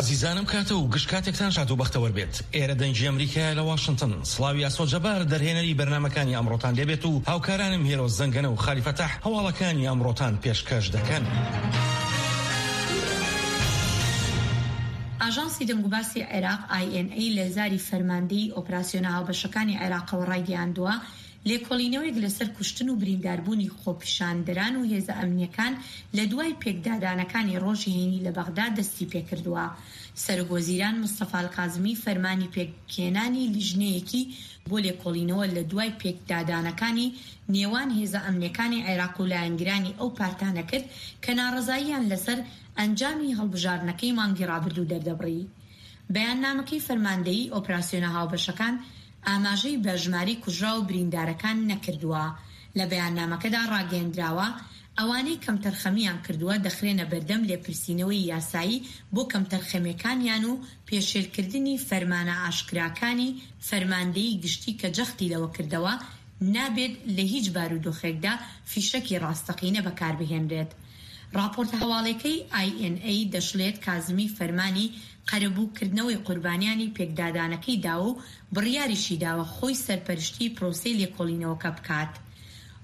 ئازیزانم کاتە و گشت کاتێکتان شاد و بەختەوەر بێت. ئێرە دەنگی ئەمریکایە لە واشنتن. سڵاوی ئاسۆ جەبار دەرهێنەری بەرنامەکانی ئەمڕۆتان لێبێت و هاوکارانم هێرۆ زەنگەنە و خالی فەتاح هەواڵەکانی ئەمڕۆتان پێشکەش دەکەن. ئاژانسی دەنگوباسی عێراق، INA، لە زاری فەرماندەیی ئۆپراسیۆنە هاوبەشەکانی عێراقەوە ڕایگەیاندووە، لێکۆڵینەوەیەک لەسەر کوشتن و برینداربوونی خۆپیشاندەران و هێزە ئەمنییەکان لە دوای پێکدادانەکانی ڕۆژی هەینی لە بەغدا دەستیپێکردووە. سەرۆک وەزیران مستەفا الکازمی فەرمانی پێکهێنانی لیژنەیەکی بۆ لێکۆڵینەوە لە دوای پێکدادانەکانی نێوان هێزە ئەمنییەکانی عێراق و لایەنگرانی ئەو پارتانە کرد کە ناڕەزاییان لەسەر ئەنجامی هەڵبژاردنەکەی مانگی ڕابردوو دەردەبڕی. بەیاننامەکەی فەرماندەیی ئۆپراسیۆنە هاوبەشەکان ئاماژەی بە ژمارەی کوژراو و بریندارەکان نەکردووە. لە بەیاننامەکەدا ڕاگەیەندراوە، ئەوانەی کەمتەرخەمییان کردووە دەخرێنە بەردەم لێپرسینەوەی یاسایی بۆ کەمتەرخەمییەکانیان و پێشێلکردنی فەرمانە ئاشکراکانی فەرماندەیی گشتی کە جەختی لەوە کردەوە نابێت لە هیچ بارودۆخێکدا فیشەکی ڕاستەقینە بەکاربهێنرێت. ڕاپۆرتە هەواڵێکەی INA دەشڵێت کازمی فەرمانی قەرەبوو کردنەوەی قوربانیانی پێکدادانەکەی داوە و بڕیاریشی داوە خۆی سەرپەرشتیی پرۆسەی لێکۆڵینەوەکە بکات.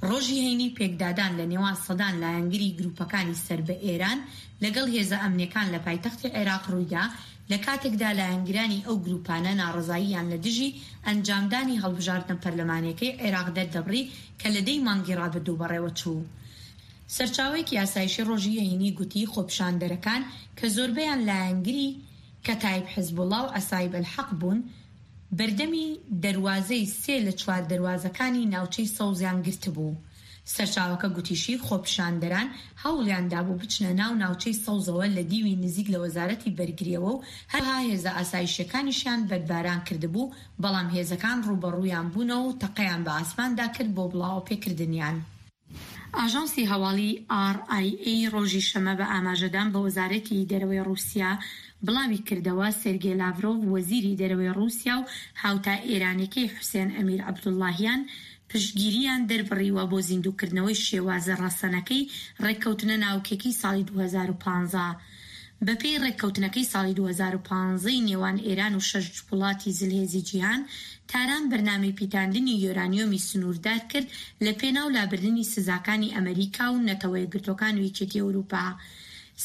ڕۆژی هەینی پێکدادان لە نێوان سەدان لایەنگری گروپەکانی سەر بە ئێران لەگەڵ هێزە ئەمنیەکان لە پایتەختی عێراق ڕوویدا لە کاتێکدا لایەنگرانی ئەو گروپانە ناڕەزاییان لە دژی ئەنجامدانی هەڵبژاردنە پەرلەمانیەکەی عێراق دەردەبڕی کە لە دەی مانگی ڕابردوو بەڕێوەچوو. سەرچاوەیەکی ئاسایشی ڕۆژی هەینی گوتی خۆپیشاندەرەکان کە زۆربەیان لایەنگری کەتایب حزبوڵا و عەسایب ئەلحەق بوون، بەردەمی دەروازەی سێ لە چوار دەروازەکانی ناوچەی سەوزیان گرتبوو. سەرچاوەکە گوتیشی خۆپیشاندەران هەوڵیان دابوو بچنە ناو ناوچەی سەوزەوە لە دیوی نزیک لە وەزارەتی بەرگرییەوە و هەروەها هێزە ئاسایشییەکانیشیان بەردباران کردبوو، بەڵام هێزەکان ڕووبەڕوویان بوونەوە و تەقەیان بە ئاسماندا کرد بۆ بڵاوەپێکردنیان. ئاژانسی هەواڵی ئاڕ ئای ئەی ڕۆژی شەمە بە ئاماژەدان بە وەزارەتی دەرەوەی ڕووسیا بڵاوی کردەوە، سێرگێ لاڤرۆڤ وەزیری دەرەوەی ڕووسیا و هاوتا ئێرانیەکەی حوسێن ئەمیر عەبدوڵڵاهیان پشتگیرییان دەربڕیوە بۆ زیندووکردنەوەی شێوازە ڕەسەنەکەی ڕێککەوتنە ناوکیەکەی ساڵی 2015. بەپێی ڕێککەوتنەکەی ساڵی 2015 ی نێوان ئێران و شەش وڵاتی زلهێزی جیهان، تاران بەرنامەی پیتاندنی یۆرانیۆمی سنووردار کرد لە پێناو لابردنی سزاکانی ئەمەریکا و نەتەوەیەکگرتووەکان و یەکێتی ئەوروپا.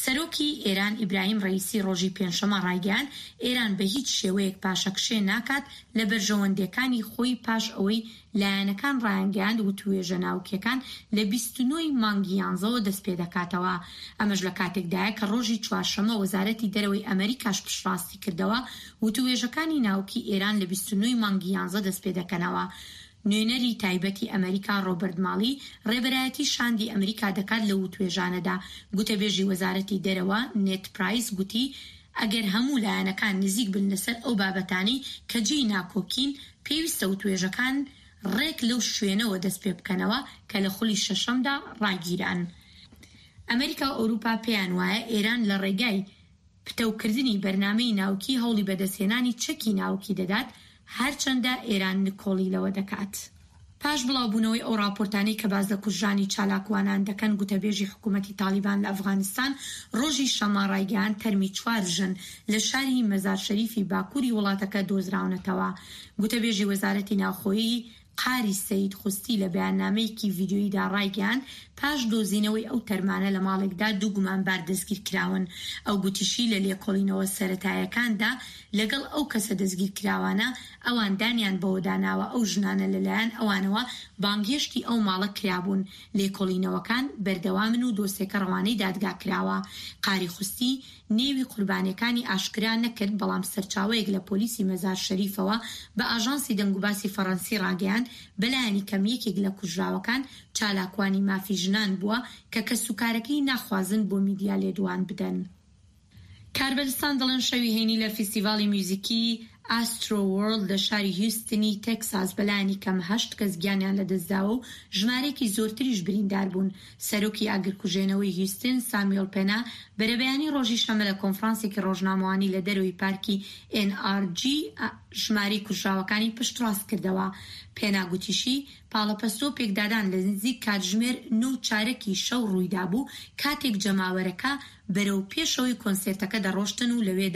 سەرۆکی ئێران ئیبراهیم ڕەئیسی ڕۆژی پێنجشەممە ڕایگەیاند، ئێران بە هیچ شێوەیەک پاشەکشێ ناکات لە بەرژەوەندییەکانی خۆی پاش ئەوەی لایەنەکان ڕایانگەیاند وتووێژە ناوکیەکان لە 29 ی مانگی یانزەوە دەستپێدەکاتەوە، ئەمەش لە کاتێکدایە کە ڕۆژی چوارشەممە وەزارەتی دەرەوەی ئەمەریکاش پشتڕاستیکردەوە وتووێژەکانی ناوکی ئێران لە 29 ی مانگی یانزە دەستپێدەکەنەوە. نوێنەری تایبەتی ئەمەریکا ڕۆبەرت ماڵی ڕێبەرایەتی شاندی ئەمریکا دەکات لەو وتوێژانەدا. گوتەبێژی وەزارەتی دەرەوە نێد پرایس گوتی ئەگەر هەموو لایەنەکان نزیک بن لەسەر ئەو بابەتانەی کە جێی ناکۆکین، پێویستە وتوێژەکان ڕێک لەو شوێنەوە دەست پێ بکەنەوە کە لە خولی شەشەمدا ڕاگیران. ئەمریکا و ئەوروپا پێیان وایە ئێران لە ڕێگای پتەوکردنی بەرنامەی ناوکی هەوڵی بەدەستهێنانی چەکی ناوکی دەدات، هەرچەندە ئێران نکۆڵی لەوە دەکات. پاش بڵاوبوونەوەی ئەو ڕاپۆرتانەی کە باس لە کوژرانی چالاکوانان دەکەن، گوتەبێژی حکوومەتی تاڵیبان لە ئەفغانستان ڕۆژی شەممە ڕایگەیاند، تەرمی چوار ژن لە شاری مەزار شەریفی باکووری وڵاتەکە دۆزراونەتەوە. گوتەبێژی وەزارەتی ناوخۆی قاری سەید خوستی لە بەیاننامەیەکی ڤیدیۆییدا ڕایگەیاند، پاش دۆزینەوەی ئەو تەرمانە لە ماڵێکدا دوو گومانبار دەستگیرکراون. ئەو گوتیشی، لە لێکۆڵینەوە سەرەتایەکاندا لەگەڵ ئەو کەسە دەستگیرکراوانە، ئەوان دانیان بەوەدا ناوە ئەو ژنانە لەلایەن ئەوانەوە بانگهێشتی ئەو ماڵە کرابوون، لێکۆڵینەوەکان بەردەوامن و دۆسێکە ڕەوانەی دادگا کراوە. قاری خوستی نێوی قوربانیەکانی ئاشکرا نەکرد، بەڵام سەرچاوەیەک لە پۆلیسی مەزار شەریفەوە بە ئاژانسی دەنگوباسی فەڕەنسی ڕاگەیاند، بەلایەنی کەم یەکێک لە کوژراوەکان چالاکوانی مافی ژنان بووە کە کەسوکارەکەی ناخوازن بۆ میدیا لێدوان بدەن. کاربەدەستان دەڵێن شەوی هەینی لە فیستیڤاڵی میوزیکی ئاسترۆ وۆرڵد لە شاری هیوستنی تێکساس بەلایەنی کەم هەشت کەس گیانیان لەدەستداوە و ژمارەیەکی زۆرتریش بریندار بوون. سەرۆکی ئاگرکوژێنەوەی هیوستن سامیۆل پێنا بەرەبەیانی ڕۆژی شەممە لە کۆنفرانسێکی ڕۆژنامەوانی لە دەرەوەی پارکی ئێن ئاڕ جی ژمارەی کوژراوەکانی پشتڕاست کردەوە. پێنا گوتیشی پاڵەپەستۆ پێکدادان لە نزیک کاتژمێر نۆ و چارەکی شەو ڕوویدابوو کاتێک جەماوەرەکە بەرەو پێشەوەی کۆنسێرتەکە دەڕۆشتن و لەوێدا.